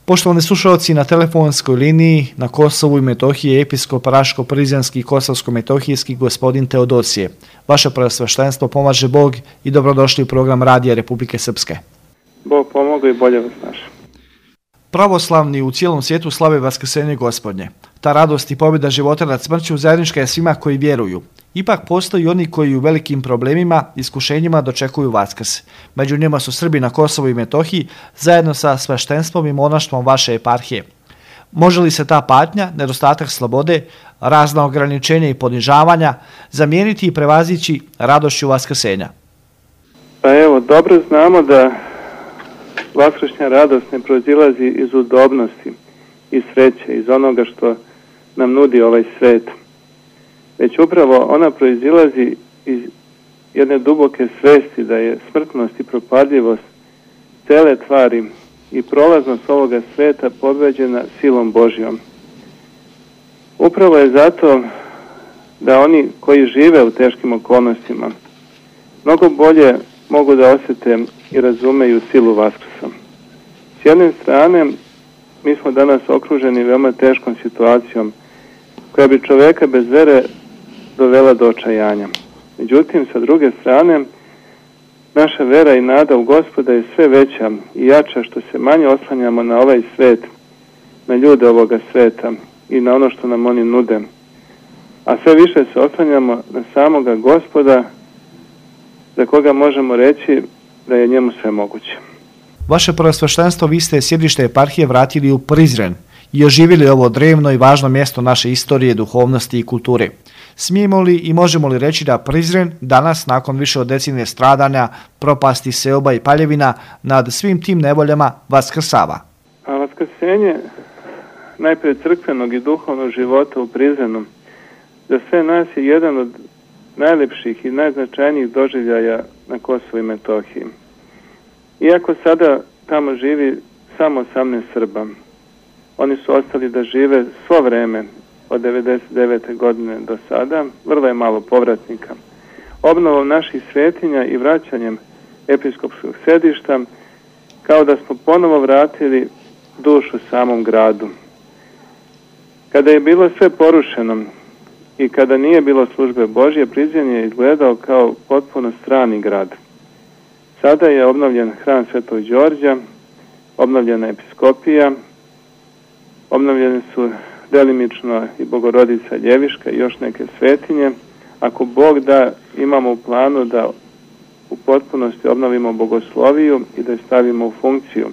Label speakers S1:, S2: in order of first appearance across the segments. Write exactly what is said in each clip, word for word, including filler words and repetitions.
S1: Poštovani slušalci, na telefonskoj liniji na Kosovu i Metohiji je episkop Raško-Prizrenski i Kosovsko-Metohijski gospodin Teodosije. Vaše preosveštenstvo pomaže Bog i dobrodošli u program Radija Republike Srpske.
S2: Bog pomogu i bolje vas naša.
S1: Pravoslavni u cijelom svijetu slave Vaskrsenje Gospodnje. Ta radost i pobjeda života nad smrću zajednička je svima koji vjeruju. Ipak postoji oni koji u velikim problemima, iskušenjima dočekuju Vaskrs. Među njima su Srbi na Kosovu i Metohiji zajedno sa sveštenstvom i monaštvom vaše eparhije. Može li se ta patnja, nedostatak slobode, razna ograničenja i ponižavanja zamijeniti i prevazići radošću Vaskrsenja?
S2: Pa evo, dobro znamo da vaskršnja radost ne proizilazi iz udobnosti i sreće, iz onoga što nam nudi ovaj svet, već upravo ona proizilazi iz jedne duboke svesti da je smrtnost i propadljivost cele tvari i prolaznost ovoga sveta pobeđena silom Božjom. Upravo je zato da oni koji žive u teškim okolnostima mnogo bolje mogu da osjete i razumeju silu Vaskrsa. S jedne strane, mi smo danas okruženi veoma teškom situacijom koja bi čoveka bez vere dovela do očajanja. Međutim, sa druge strane, naša vera i nada u Gospoda je sve veća i jača što se manje oslanjamo na ovaj svet, na ljude ovoga sveta i na ono što nam oni nude. A sve više se oslanjamo na samoga Gospoda, za koga možemo reći da je njemu sve moguće.
S1: Vaše preosveštenstvo, vi ste sjedište eparhije vratili u Prizren i oživjeli ovo drevno i važno mjesto naše istorije, duhovnosti i kulture. Smijemo li i možemo li reći da Prizren danas, nakon više od decenije stradanja, propasti, seoba i paljevina, nad svim tim nevoljama vaskrsava?
S2: A vaskrsenje najprije crkvenog i duhovnog života u Prizrenu za sve nas je jedan od najlepših i najznačajnijih doživljaja na Kosovu i Metohiji. Iako sada tamo živi samo osamnaest Srba, oni su ostali da žive svo vreme od devedeset devete godine do sada, vrlo je malo povratnika. Obnovom naših svetinja i vraćanjem episkopskog sedišta, kao da smo ponovo vratili dušu samom gradu. Kada je bilo sve porušeno i kada nije bilo službe Božje, Prizren je izgledao kao potpuno strani grad. Sada je obnovljen hram Svetog Đorđa, obnovljena episkopija, obnovljene su delimično i Bogorodica Ljeviška i još neke svetinje. Ako Bog da, imamo u planu da u potpunosti obnovimo bogosloviju i da je stavimo u funkciju.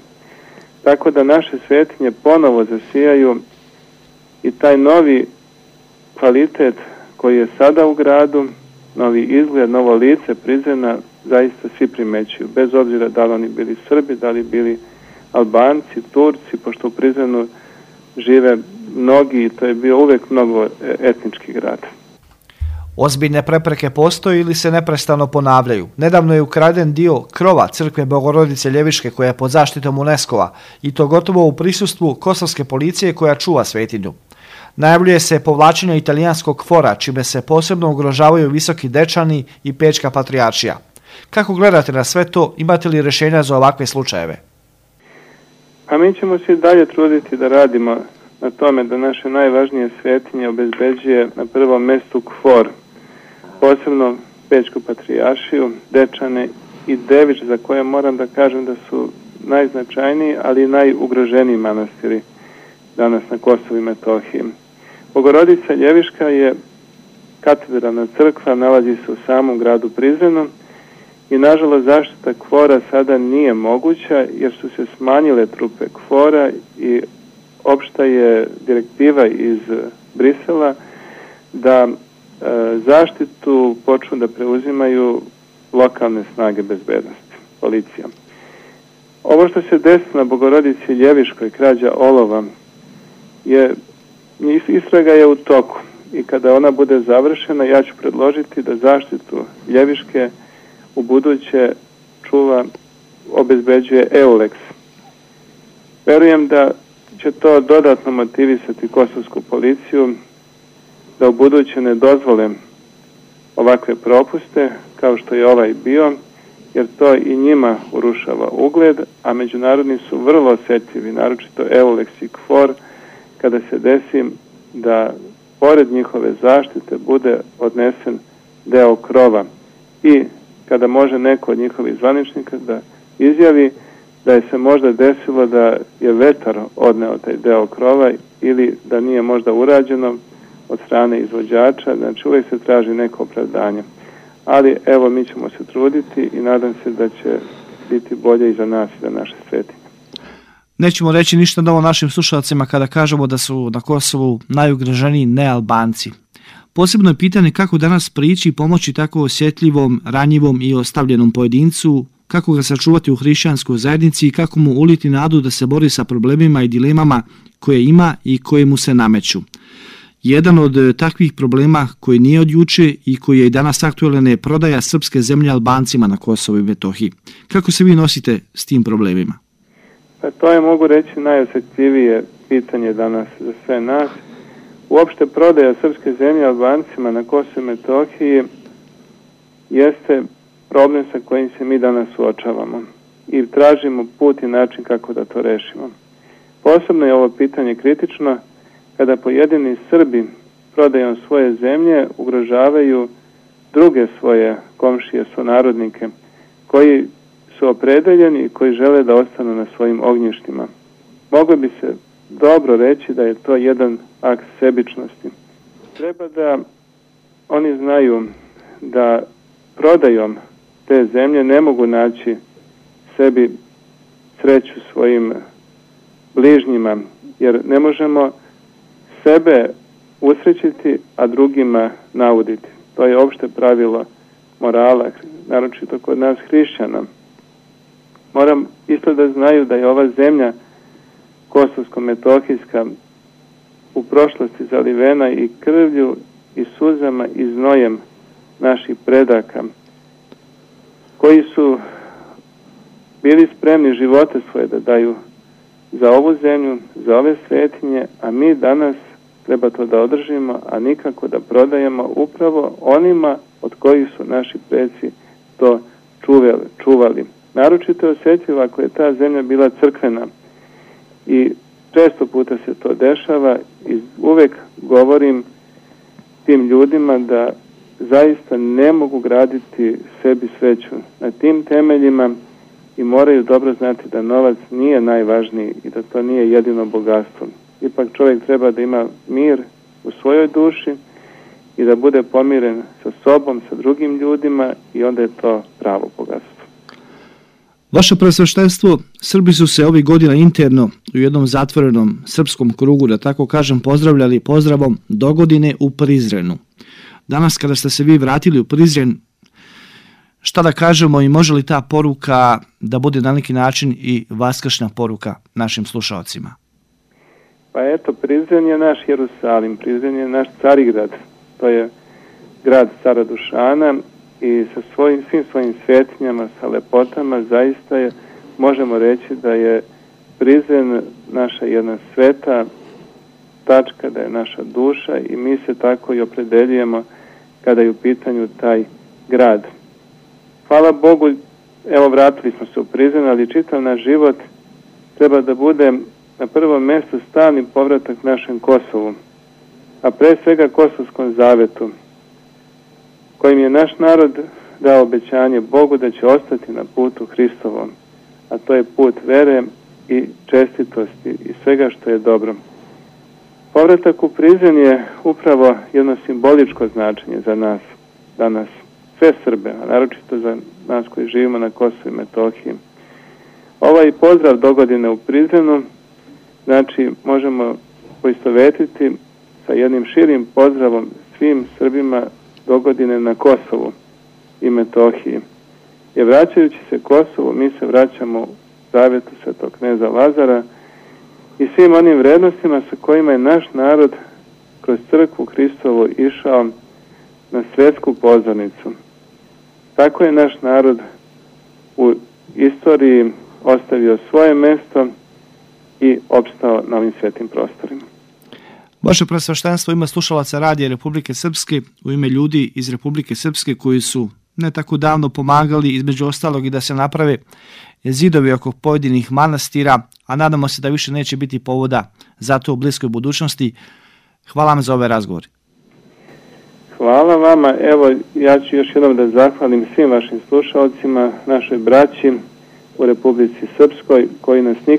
S2: Tako da naše svetinje ponovo zasijaju i taj novi kvalitet koji je sada u gradu, novi izgled, novo lice Prizrena zaista svi primećuju, bez obzira da li oni bili Srbi, da li bili Albanci, Turci, pošto u Prizrenu žive mnogi i to je bio uvek mnogo etnički grad.
S1: Ozbiljne prepreke postoje ili se neprestano ponavljaju. Nedavno je ukraden dio krova crkve Bogorodice Ljeviške koja je pod zaštitom UNESCO-a i to gotovo u prisustvu kosovske policije koja čuva svetinju. Najavljuje se povlačenje italijanskog fora, čime se posebno ugrožavaju Visoki Dečani i Pečka patrijaršija. Kako gledate na sve to? Imate li rješenja za ovakve slučajeve?
S2: A mi ćemo se dalje truditi da radimo na tome da naše najvažnije svetinje obezbeđuje na prvom mjestu KFOR, posebno Pečku patrijaršiju, Dečane i Devič, za koje moram da kažem da su najznačajniji, ali i najugroženiji manastiri danas na Kosovu i Metohiji. Bogorodica Ljeviška je katedralna crkva, nalazi se u samom gradu Prizrenu i nažalost zaštita KFOR-a sada nije moguća jer su se smanjile trupe KFOR-a i opšta je direktiva iz Brisela da e, zaštitu počnu da preuzimaju lokalne snage bezbednosti, policija. Ovo što se desilo na Bogorodici Ljeviškoj, krađa olova, je, istraga je u toku i kada ona bude završena, ja ću predložiti da zaštitu Ljeviške u buduće čuva, obezbeđuje EULEX. Verujem da će to dodatno motivisati kosovsku policiju da u buduće ne dozvole ovakve propuste kao što je ovaj bio jer to i njima urušava ugled, a međunarodni su vrlo osjetljivi, naročito Eulex i KFOR, kada se desi da pored njihove zaštite bude odnesen deo krova i kada može neko od njihovih zvaničnika da izjavi da je se možda desilo da je vetar odneo taj deo krova ili da nije možda urađeno od strane izvođača, znači uvijek se traži neko opravdanje. Ali evo, mi ćemo se truditi i nadam se da će biti bolje i za nas i za naše svetinje.
S1: Nećemo reći ništa novo našim slušalcima kada kažemo da su na Kosovu najugroženiji nealbanci. Posebno je pitanje kako danas prići i pomoći tako osjetljivom, ranjivom i ostavljenom pojedincu, kako ga sačuvati u hrišćanskoj zajednici i kako mu uliti nadu da se bori sa problemima i dilemama koje ima i koje mu se nameću. Jedan od takvih problema koji nije od juče i koji je i danas aktualan je prodaja srpske zemlje Albancima na Kosovu i Metohiji. Kako se vi nosite s tim problemima?
S2: Pa to je, mogu reći, najosjetljivije pitanje danas za sve nas. Uopšte prodaja srpske zemlje Albancima na Kosovu i Metohiji jeste problem sa kojim se mi danas suočavamo i tražimo put i način kako da to rešimo. Posebno je ovo pitanje kritično kada pojedini Srbi prodajom svoje zemlje ugrožavaju druge svoje komšije, sunarodnike, koji su opredeljeni i koji žele da ostanu na svojim ognjištima. Moglo bi se dobro reći da je to jedan akt sebičnosti. Treba da oni znaju da prodajom te zemlje ne mogu naći sebi sreću svojim bližnjima, jer ne možemo sebe usrećiti, a drugima nauditi. To je opšte pravilo morala, naročito kod nas hrišćana. Moram isto da znaju da je ova zemlja kosovsko-metohijska u prošlosti zalivena i krvlju i suzama i znojem naših predaka, koji su bili spremni živote svoje da daju za ovu zemlju, za ove svetinje, a mi danas treba to da održimo, a nikako da prodajemo upravo onima od kojih su naši preci to čuvali. čuvali. Naročito je osjetljivo ako je ta zemlja bila crkvena i često puta se to dešava i uvek govorim tim ljudima da zaista ne mogu graditi sebi sreću na tim temeljima i moraju dobro znati da novac nije najvažniji i da to nije jedino bogatstvo. Ipak čovjek treba da ima mir u svojoj duši i da bude pomiren sa sobom, sa drugim ljudima i onda je to pravo bogatstvo.
S1: Vaše presveštenstvo, Srbi su se ovih godina interno u jednom zatvorenom srpskom krugu, da tako kažem, pozdravljali pozdravom dogodine u Prizrenu. Danas kada ste se vi vratili u Prizren, šta da kažemo i može li ta poruka da bude na neki način i vaskršnja poruka našim slušalcima?
S2: Pa eto, Prizren je naš Jerusalim, Prizren je naš Carigrad, to je grad cara Dušana i sa svojim, svim svojim svetinjama, sa lepotama, zaista je, možemo reći da je Prizren naša jedna sveta tačka, da je naša duša i mi se tako i opredeljujemo kada je u pitanju taj grad. Hvala Bogu, evo vratili smo se u Prizren, ali čitav naš život treba da bude na prvom mjestu stalni povratak našem Kosovu, a pre svega Kosovskom zavetu, kojim je naš narod dao obećanje Bogu da će ostati na putu Hristovom, a to je put vere i čestitosti i svega što je dobro. Povratak u Prizren je upravo jedno simboličko značenje za nas danas, sve Srbe, a naročito za nas koji živimo na Kosovu i Metohiji. Ovaj pozdrav dogodine u Prizrenu, znači možemo poistovetiti sa jednim širim pozdravom svim Srbima dogodine na Kosovu i Metohiji. Jer vraćajući se Kosovu, mi se vraćamo u zavetu svetog kneza Lazara i svim onim vrednostima sa kojima je naš narod kroz crkvu Hristovu išao na svetsku pozornicu. Tako je naš narod u istoriji ostavio svoje mesto i opstao na ovim svetim prostorima.
S1: Vaše presveštenstvo ima slušalaca Radija Republike Srpske u ime ljudi iz Republike Srpske koji su ne tako davno pomagali, između ostalog i da se naprave zidovi oko pojedinih manastira, a nadamo se da više neće biti povoda za to u bliskoj budućnosti. Hvala vam za ovaj razgovor.
S2: Hvala vama. Evo, ja ću još jednom da zahvalim svim vašim slušalcima, našoj braći u Republici Srpskoj, koji nas nikad